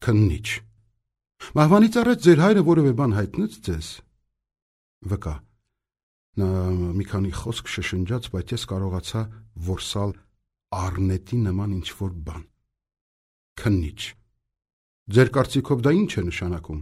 Քննիչ. Մահվանից առաջ ձեր հայրը որևէ բան հայտնեց ձեզ։ Վկա. Նա մի քանի խոսք շշնջաց, բայց ես կարողացա որսալ առնետի նման ինչ-որ բան։ Քննիչ. Ձեր կարծիքով դա ինչ է նշանակում։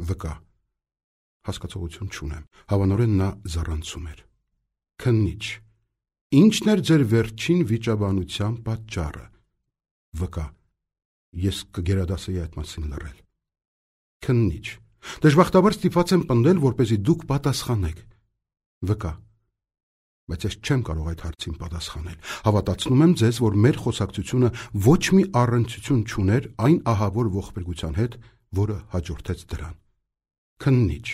Վկա. Հասկացողություն չունեմ։ Հավանորեն նա զառանցում էր։ Քննիչ. Ինչն էր ձեր վերջին վիճաբանության պատճառը։ Վկա. Ես կգերադասեի այդ մասին լռել։ Քննիչ. Դժբախտաբար ստիպված եմ պնդել, որպեսզի դուք պատասխանեք։ Վկա. Բայց ես չեմ կարող այդ հարցին պատասխանել։ Հավատացնում եմ ձեզ, որ մեր խոսակցությունը ոչ մի առնչություն չուներ այն ահավոր ողբերգության հետ, որը հաջորդեց դրան։ Քննիչ.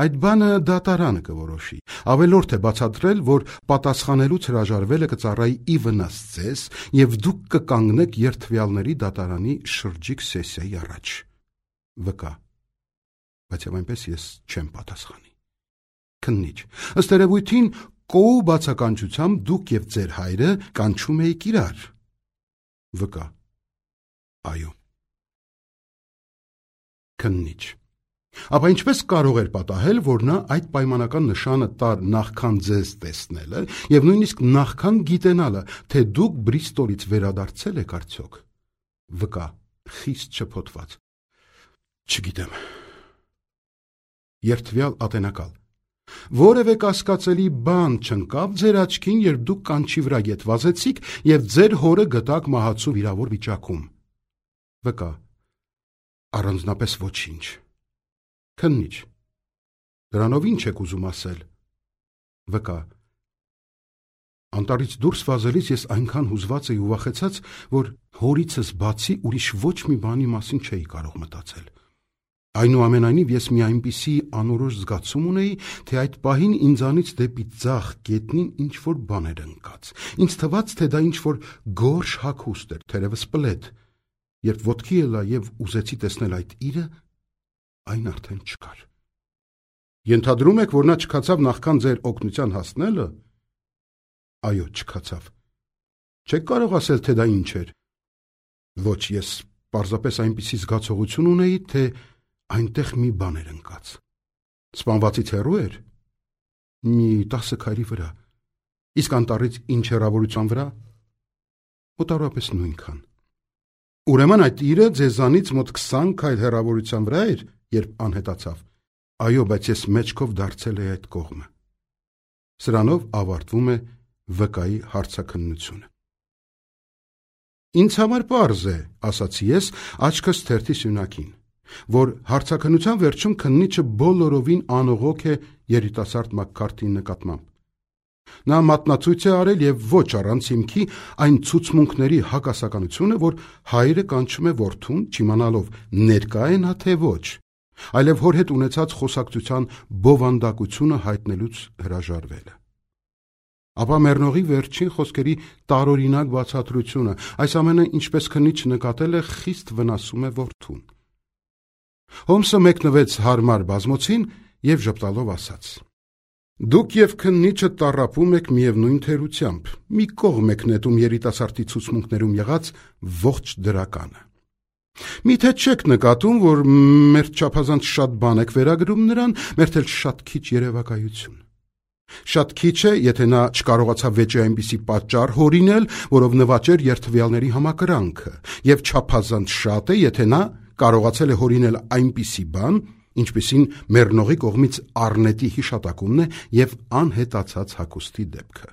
Այդ բանը դատարանը կորոշի։ Ավելորդ է բացատրել, որ պատասխանելուց հրաժարվելը կծառայի ի վնաս ձեզ, եւ դուք կկանգնեք երդվյալների դատարանի շրջիկ սեսիայի առաջ։ Վկա. Բայց եւ այնպես ես չեմ պատասխանի։ Քննիչ. Ըստ երևույթին կոու բացականչությամբ դուք եւ ձեր հայրը կանչում եք իրար։ Վկա. Այո։ Քննիչ. Ապա ինչպես կարող էր պատահել, որ նա այդ պայմանական նշանը տար նախքան ձեզ տեսնելը եւ նույնիսկ նախքան գիտենալը, թե դուք Բրիստոլից վերադարձել եք արդյոք։ Վկա. Խիստ շփոթված. Չգիտեմ։ Երդվյալ ատենակալ. Որևէ կասկածելի բան չընկավ ձեր աչքին, երբ դուք կանչի վրա ետ վազեցիք եւ ձեր հորը գտաք մահացու վիրավոր վիճակում։ Վկա. Առանձնապես ոչինչ։ Քննիչ. Դրանով ինչ եք ուզում ասել։ Վկա. Անտառից դուրս վազելիս ես այնքան հուզված էի ու վախեցած, որ հորիցս բացի ուրիշ ոչ մի բանի մասին չէի կարող մտածել։ Այնուամենայնիվ ես մի այնպիսի անորոշ զգացում ունեի, թե այդ պահին ինձանից դեպի ձախ գետնին ինչ-որ բան էր ընկած։ Ինձ թվաց, թե դա ինչ-որ գորշ հագուստ էր, թերևս պլեդ։ Երբ ոտքի ելա եւ ուզեցի տեսնել այդ իրը, այն արդեն չկար։ Ենթադրում եք, որ նա չքացավ նախքան ձեր օգնության հասնելը։ Այո, չքացավ։ Չեք կարող ասել, թե դա ինչ էր։ Ոչ, ես պարզապես այնպիսի զգացողություն ունեի, թե այնտեղ մի բան էր ընկած։ Սպանվածից հեռու էր։ Մի 10 քայլի վրա։ Իսկ անտառից ինչ հեռավորության վրա։ Մոտավորապես նույնքան։ Ուրեմն այդ իրը ձեզանից մոտ 20 քայլ հեռավորության վրա էր, երբ անհետացավ։ Այո, բայց ես մեջքով դարձել էի այդ կողմը։ Սրանով ավարտվում է վկայի հարցաքննությունը։ Ինձ համար պարզ է, ասացի ես, աչքս թերթի սյունակին, որ հարցաքննության վերջում քննիչը բոլորովին անողոք է երիտասարդ Մաքքարթիի նկատմամբ։ Նա մատնացույց է արել եւ ոչ առանց հիմքի այն ցուցմունքների հակասականությունը, որ հայրը կանչում է որդուն, չիմանալով ներկա է նա թե ոչ, այլև հոր հետ ունեցած խոսակցության բովանդակությունը հայտնելուց հրաժարվելը։ Ապա մեռնողի վերջին խոսքերի տարօրինակ բացատրությունը, այս ամենը, ինչպես քննիչը նկատել է, խիստ վնասում է որդուն։ Հոմսը մեկնվեց հարմար բազմոցին եւ ժպտալով ասաց. Դուք եւ քննիչը տառապում եք միևնույն թերությամբ, մի կողմ եք նետում երիտասարդի ցուցմունքներում եղած ողջ դրականը։ Միթե չեք նկատում, որ մեր չափազանց շատ բան եք վերագրում նրան, մեր էլ շատ քիչ երևակայություն։ Շատ քիչ է, եթե նա չկարողացավ վեճի այնպիսի պատճառ հորինել, որով նվաճեր երդվյալների համակրանքը, եւ չափազանց շատ է, եթե նա կարողացել է հորինել այնպիսի բան, ինչպիսին մեռնողի կողմից առնետի հիշատակումն է եւ անհետացած հագուստի դեպքը։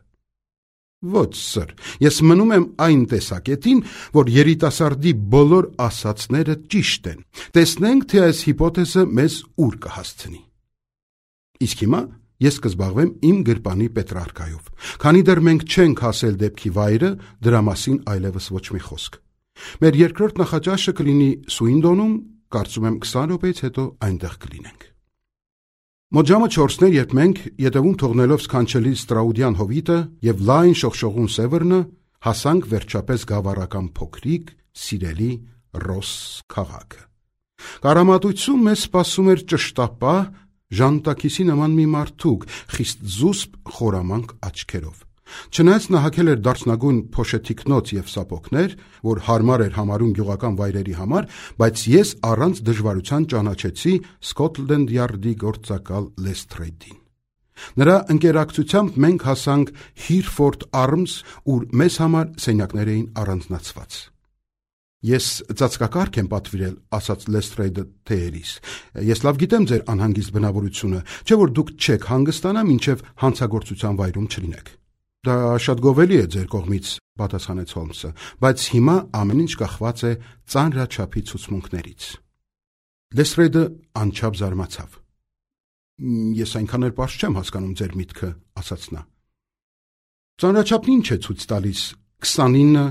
Ոչ, սր, ես մնում եմ այն տեսակետին, որ երիտասարդի բոլոր ասացները ճիշտ են։ Տեսնենք, թե այս հիպոթեզը մեզ ուր կհասցնի։ Իսկ հիմա ես կզբաղվեմ իմ գրպանի Պետրարկայով։ Քանի դեռ մենք չենք հասել դեպքի վայրը, դրա մասին այլևս ոչ մի խոսք։ Մեր երկրորդ նախաճաշը կլինի Սուինդոնում, կարծում եմ 20 րոպեից հետո այնտեղ կլինենք։ Մոտ ժամը 4-ն էր, երբ մենք, ետևում թողնելով սքանչելի Ստրաուդյան հովիտը եւ լայն շողշողուն Սևեռնը, հասանք վերջապես գավառական փոքրիկ, սիրելի Ռոս քաղաքը։ Կարամատույցում մեզ սպասում էր ճշտապահ, ժանտակիսի նման մի մարդուկ, խիստ զուսպ խորամանկ աչքերով։ Չնայած նա հագել էր դարչնագույն փոշեթիկնոց եւ սապոգներ, որ հարմար էր համարում գյուղական վայրերի համար, բայց ես առանց դժվարության ճանաչեցի Scotland Yard-ի գործակալ Lestrade-ին։ Նրա ընկերակցությամբ մենք հասանք Hereford Arms, ուր մեզ համար սենյակներ էին առանձնացված։ Ես ծածկակարգ եմ պատվիրել, ասաց Lestrade-ը թեերիս։ Ես լավ գիտեմ ձեր անհանգիստ բնավորությունը, չէ՞ որ դուք չեք հանգստանա, մինչև հանցագործության վայրում չլինեք։ Դա շատ գովելի է ձեր կողմից, պատասխանեց Հոլմսը, բայց հիմա ամեն ինչ կախված է ծանրաչափի ցուցմունքներից։ Lestrade-ը անչափ զարմացավ։ Ես այնքան էլ պարզ չեմ հասկանում ձեր միտքը, ասաց նա։ Ծանրաչափն ինչ է ցույց տալիս, 29,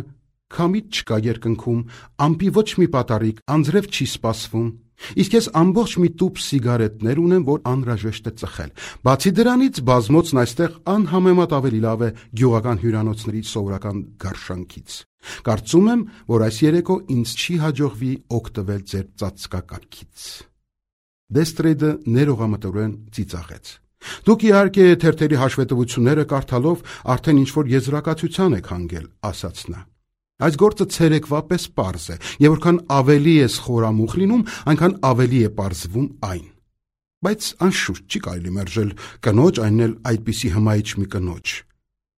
քամիտ չկա երկնքում, ամպի ոչ մի պատառիկ, անձրև չի սպասվում, իսկ ես ամբողջ մի տուփ սիգարետներ ունեմ, որ անհրաժեշտ է ծխել։ Բացի դրանից, բազմոցն այստեղ անհամեմատ ավելի լավ է գյուղական հյուրանոցների սովորական գարշանքից։ Կարծում եմ, որ այս երեկո ինձ չի հաջողվի օգտվել ձեր ծածկակարգից։ Lestrade-ը ներողամտորեն ծիծաղեց։ Դուք իհարկե թերթերի հաշվետվությունները կարդալով արդեն ինչ-որ եզրակացության եք հանգել, ասաց նա։ Այս գործը ցերեկվա պես պարզ է, եւ որքան ավելի ես խորամուխ լինում, այնքան ավելի է պարզվում այն։ Բայց անշուշտ չի կարելի մերժել կնոջ, այն էլ այդպիսի հմայիչ մի կնոջ։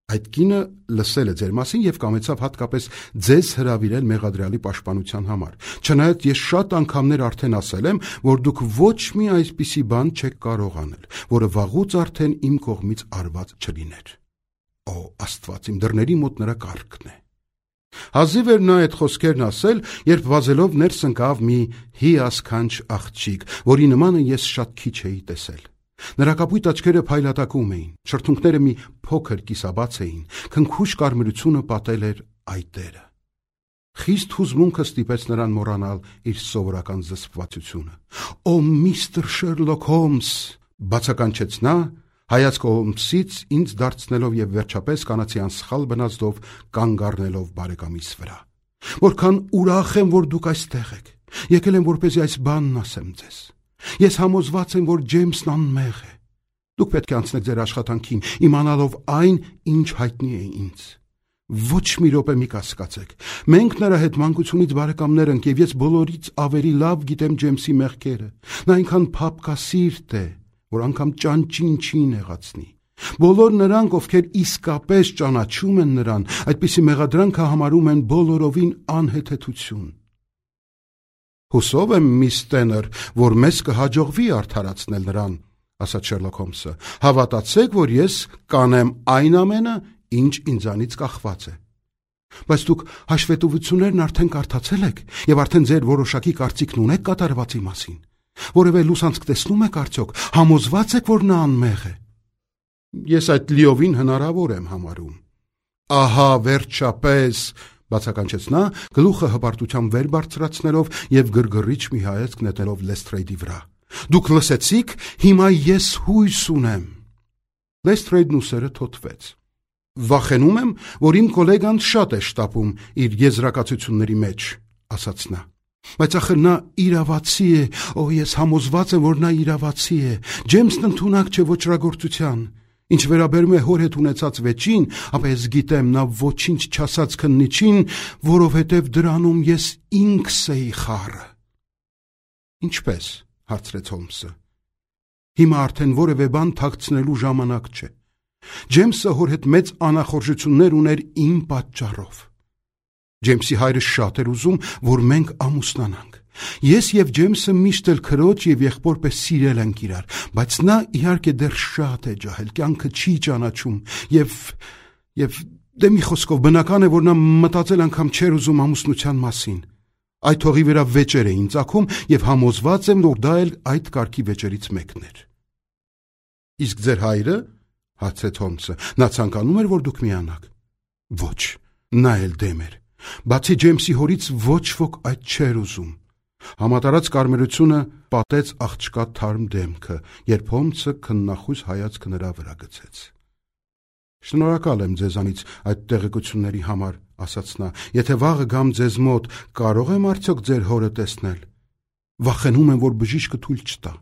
Այդ կինը լսել է ձեր մասին եւ կամեցավ հատկապես ձեզ հրավիրել մեղադրյալի պաշտպանության համար։ Չնայած ես շատ անգամներ արդեն ասել եմ, որ դուք ոչ մի այսպիսի բան չեք կարող անել, որը վաղուց արդեն իմ կողմից արված չլիներ։ Օ, Աստված, իմ դռների մոտ նրա կառքն է։ Հազիվ էր նա այդ խոսքերն ասել, երբ վազելով ներս ընկավ մի հիասքանչ աղջիկ, որի նմանը ես շատ քիչ էի տեսել։ Նրա կապույտ աչքերը փայլատակում էին, շրթունքները մի փոքր կիսաբաց էին, քնքուշ կարմրությունը պատել էր այտերը։ Խիստ հուզմունքը ստիպեց նրան մոռանալ իր սովորական զսպվածությունը։ Օ, միստր Շերլոք Հոլմս, բացականչեց նա, հայացքը Հոլմսից ինձ դարձնելով եւ վերջապես կանացի անսխալ բնազդով կանգ առնելով բարեկամիս վրա։ Որքան ուրախ եմ, որ դուք այստեղ եք։ Եկել եմ, որպեսզի այս բանն ասեմ ձեզ։ Ես համոզված եմ, որ Ջեյմսն անմեղ է։ Դուք պետք է անցնեք ձեր աշխատանքին, իմանալով այն, ինչ հայտնի է ինձ։ Ոչ մի րոպե մի կասկածեք։ Մենք նրա հետ մանկությունից բարեկամներ ենք եւ ես բոլորից ավելի լավ գիտեմ Ջեյմսի մեղքերը։ Նա այնքան փափկասիրտ է, որ անգամ ճանճին չի նեղացնի։ Բոլոր նրանք, ովքեր իսկապես ճանաչում են նրան, այդպիսի մեղադրանքը համարում են բոլորովին անհեթեթություն։ Հուսով եմ, միս Տեներ, որ մեզ կհաջողվի արդարացնել նրան, ասաց Շերլոք Հոլմսը։ Հավատացեք, որ ես կանեմ այն ամենը, ինչ ինձանից կախված է։ Բայց դուք հաշվետվություններն արդեն կարդացել եք եւ արդեն ձեր որոշակի կարծիքն ունեք կատարվածի մասին։ Որևէ լուսանցք տեսնում եք արդյոք, համոզված եք, որ նա անմեղ է։ Ես այդ լիովին հնարավոր եմ համարում։ Ահա, վերջապես, բացականչեց նա, գլուխը հպարտությամբ վեր բարձրացնելով եւ գրգռիչ մի հայացք նետելով Lestrade-ի վրա։ Դուք լսեցիք, հիմա ես հույս ունեմ։ Lestrade-ն ուսերը թոթվեց։ Վախենում եմ, որ իմ գոլեգան շատ է շտապում իր եզրակացությունների մեջ, ասաց նա։ Բայց ախր նա իրավացի է, օ, ես համոզված եմ, որ նա իրավացի է։ Ջեյմսն ընդունակ չէ ոչրագործության։ Ինչ վերաբերում է հոր հետ ունեցած վեճին, ապա ես գիտեմ, նա ոչինչ չասած քննիչին, որովհետև դրանում ես ինքս էի խառը։ Ինչպես, հարցրեց Հոլմսը։ Հիմա արդեն որևէ բան թաքցնելու ժամանակ չէ։ Ջեյմսը հոր հետ մեծ անախորժություններ ուներ իմ պատճառով։ Ջեյմսի հայրը շատ էր ուզում, որ մենք ամուսնանանք։ Ես եւ Ջեյմսը միշտ էլ քրոջ եւ եղբոր պես սիրել ենք իրար, բայց նա իհարկե դեռ շատ է ջահել, կյանքը չի ճանաչում եւ դե մի խոսքով բնական է, որ նա մտածել անգամ չէր ուզում ամուսնության մասին։ Այդ թողի վրա վեճեր էին ծագում եւ համոզված եմ, որ դա էլ այդ կարգի վեճերից մեկն էր։ Իսկ ձեր հայրը, հարցրեց Հոլմսը, նա ցանկանում էր, որ դուք միանաք։ Ոչ, նա էլ դեմ էր։ Բացի Ջեյմսի հորից ոչ ոք այդ չէր ուզում։ Համատարած կարմրությունը պատեց աղջկա թարմ դեմքը, երբ Հոլմսը քննախույս հայացքը նրա վրա գցեց։ Շնորհակալ եմ ձեզանից այդ տեղեկությունների համար, ասաց նա։ Եթե վաղը գամ ձեզ մոտ, կարող եմ արդյոք ձեր հորը տեսնել։ Վախենում եմ, որ բժիշկը թույլ չտա։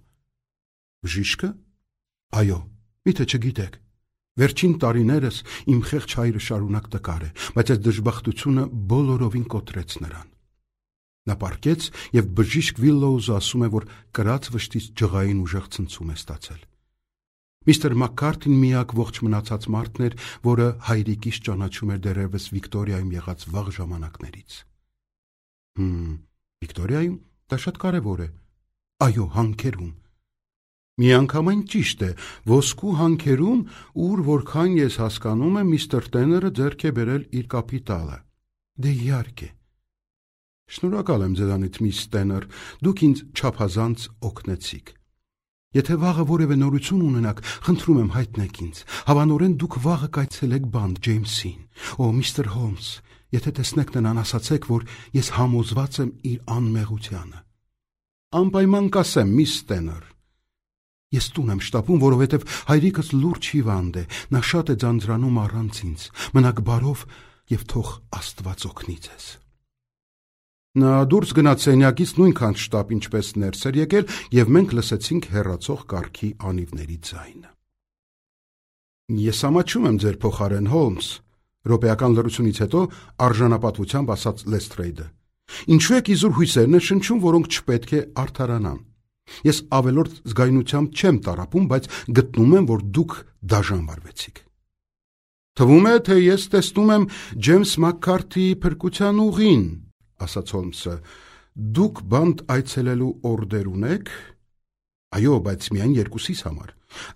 Բժիշկը։ Այո, միթե չգիտեք։ Վերջին տարիներս իմ խեղճ հայրը շարունակ տկար է, բայց այս դժբախտությունը բոլորովին կոտրեց նրան։ Նա պառկեց և բժիշկ Վիլլոուզը ասում է, որ կրած վշտից ջղային ուժեղ ցնցում է ստացել։ Միստր Մաքքարթին միակ ողջ մնացած մարդն էր, որը հայրիկիս ճանաչում էր դեռևս Վիկտորիայում եղած վաղ ժամանակներից։ Վիկտորիայում դա շատ կարևոր է։ Այո, հանքերում։ Միանգամայն ճիշտ է, ոսկու հանքերում, ուր որքան ես հասկանում եմ, միստր Տեները ձեռք է բերել իր կապիտալը։ Դե իհարկե։ Շնորհակալ եմ ձեզանից, միս Տեներ, դուք ինձ չափազանց օգնեցիք։ Եթե վաղը որևէ նորություն ունենաք, խնդրում եմ հայտնեք ինձ։ Հավանորեն դուք վաղը կայցելեք բանտ Ջեյմսին։ Միստր Հոլմս, եթե տեսնեք նրան, ասացեք, որ ես համոզված եմ իր անմեղությանը։ Անպայման կասեմ, միս Տեներ։ Ես տուն եմ շտապում, որովհետև հայրիկս լուրջ հիվանդ է, նա շատ է ձանձրանում առանց ինձ։ Մնաք բարով և թող Աստված օգնի ձեզ։ Նա դուրս գնաց սենյակից նույնքան շտապ, ինչպես ներս էր եկել, և մենք լսեցինք հեռացող կառքի անիվների ձայնը։ Ես ամաչում եմ ձեր փոխարեն, Հոլմս, րոպեական լռությունից հետո արժանապատվությամբ ասաց Լեսթրեյդը։ Ինչու եք իզուր հույսեր ներշնչում, որոնք չպետք է արդարանան։ Ես ավելորդ զգայունությամբ չեմ տառապում, բայց գտնում եմ, որ դուք դաժան վարվեցիք։ Թվում է, թե ես տեսնում եմ Ջեյմս Մաքքարթիի փրկության ուղին, ասաց Հոլմսը։ Դուք բանտ այցելելու օրդեր ունեք։ Այո, բայց միայն երկուսիս համար։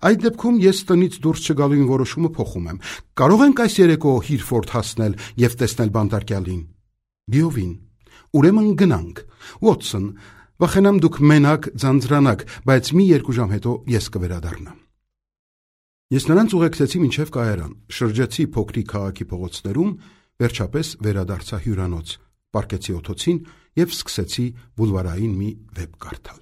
Այդ դեպքում ես տնից դուրս չգալու որոշումը փոխում եմ։ Կարող ենք այս երեկո Հիրֆորդ հասնել և տեսնել բանտարկյալին։ Լիովին։ Ուրեմն գնանք։ Ուոտսոն, վախենամ դուք մենակ ձանձրանաք, բայց մի 2 ժամ հետո ես կվերադառնամ։ Ես նրանց ուղեկցեցի մինչև կայարան, շրջեցի փոքրիկ քաղաքի փողոցներում, վերջապես վերադարձա հյուրանոց, պառկեցի օթոցին և սկսեցի բուլվարային մի վեպ կարդալ։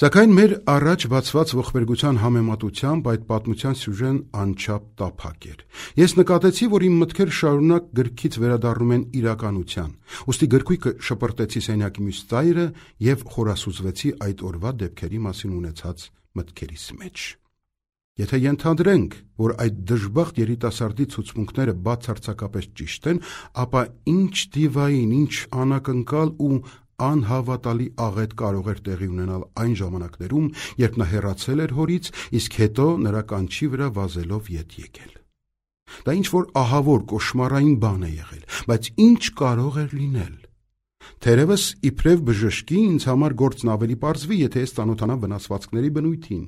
Սակայն մեր առաջ բացված ողբերգության համեմատությամբ այդ պատմության սյուժեն անչափ տափակ էր։ Ես նկատեցի, որ իմ մտքերը շարունակ գրքից վերադառնում են իրականության, ուստի գրքույկը շպրտեցի սենյակի մյուս ծայրը և խորասուզվեցի այդ օրվա դեպքերի մասին ունեցած մտքերիս մեջ։ Եթե ենթադրենք, որ այդ դժբախտ երիտասարդի ցուցմունքները բացարձակապես ճիշտ են, ապա ինչ դիվային, ինչ անակնկալ ու անհավատալի աղետ կարող էր տեղի ունենալ այն ժամանակներում, երբ նա հեռացել էր հորից, իսկ հետո նրա կանչի վրա վազելով ետ եկել։ Դա ինչ-որ ահավոր կոշմարային բան է եղել, բայց ինչ կարող էր լինել։ Թերևս իբրև բժշկի ինձ համար գործն ավելի պարզվի, եթե ես ծանոթանամ վնասվածքների բնույթին։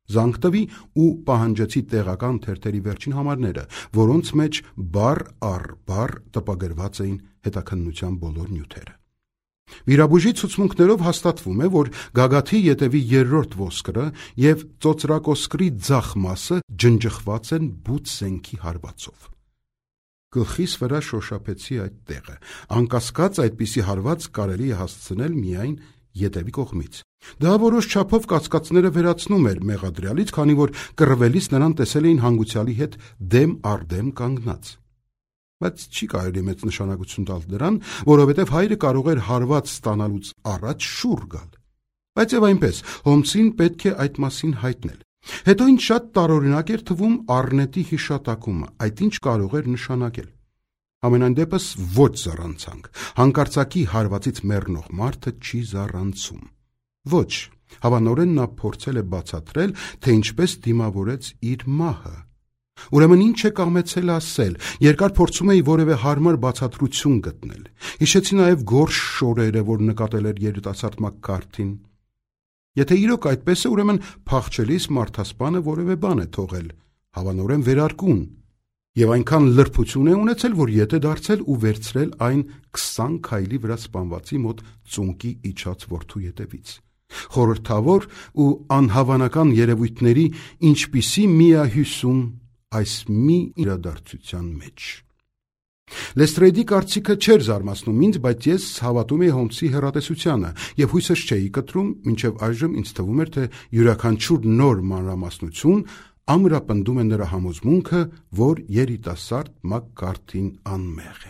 Զանգ տվի ու պահանջեցի տեղական թերթերի վերջին համարները, որոնց մեջ բառ առ բառ տպագրված էին հետաքննության բոլոր նյութերը։ Վիրաբույժի ցուցմունքներով հաստատվում է, որ գագաթի ետևի 3-րդ ոսկրը և ծոծրակոսկրի ձախ մասը ջնջխված են բութ զենքի հարվածով։ Գլխիս վրա շոշափեցի այդ տեղը։ Անկասկած այդպիսի հարված կարելի է հասցնել միայն ետևի կողմից։ Դա որոշ չափով կասկածները վերացնում էր մեղադրյալից, քանի որ կռվելիս նրան տեսել էին հանգուցյալի հետ դեմ առ դեմ կանգնած։ Բայց չի կարելի մեծ նշանակություն տալ դրան, որովհետև հայրը կարող էր հարված ստանալուց առաջ շուռ գալ։ Բայց եւ այնպես, Հոլմսին պետք է այդ մասին հայտնել։ Հետո ինձ շատ տարօրինակ էր թվում առնետի հիշատակումը, այդ ինչ կարող էր նշանակել։ Համենայն դեպս ոչ զառանցանք։ Հանկարծակի հարվածից մեռնող մարդը չի զառանցում։ Ոչ, հավանորեն նա փորձել է բացատրել, թե ինչպես դիմավորեց իր մահը։ Ուրեմն ինչ է կամեցել ասել, երկար փորձում էի որևէ հարմար բացատրություն գտնել։ Հիշեցի նաև գորշ շորերը, որ նկատել էր երիտասարդ Մաքքարթին։ Եթե իրոք այդպես է, ուրեմն փախչելիս մարդասպանը որևէ բան է թողել, հավանորեն վերարկուն, և այնքան լրբություն է ունեցել, որ ետ է դարձել ու վերցրել այն 20 քայլի վրա սպանվածի մոտ ծունկի իջած որդու ետևից։ Խորհրդավոր ու անհավանական երևույթների ինչպիսի միահյուսում այս մի իրադարձության մեջ։ Լեսթրեյդի կարծիքը չէր զարմացնում ինձ, բայց ես հավատում էի Հոլմսի հեռատեսությանը և հույսս չէի կտրում, մինչև այժմ ինձ թվում էր, թե յուրաքանչյուր նոր մանրամասնություն ամրապնդում է նրա համոզմունքը, որ երիտասարդ Մաքքարթին անմեղ է։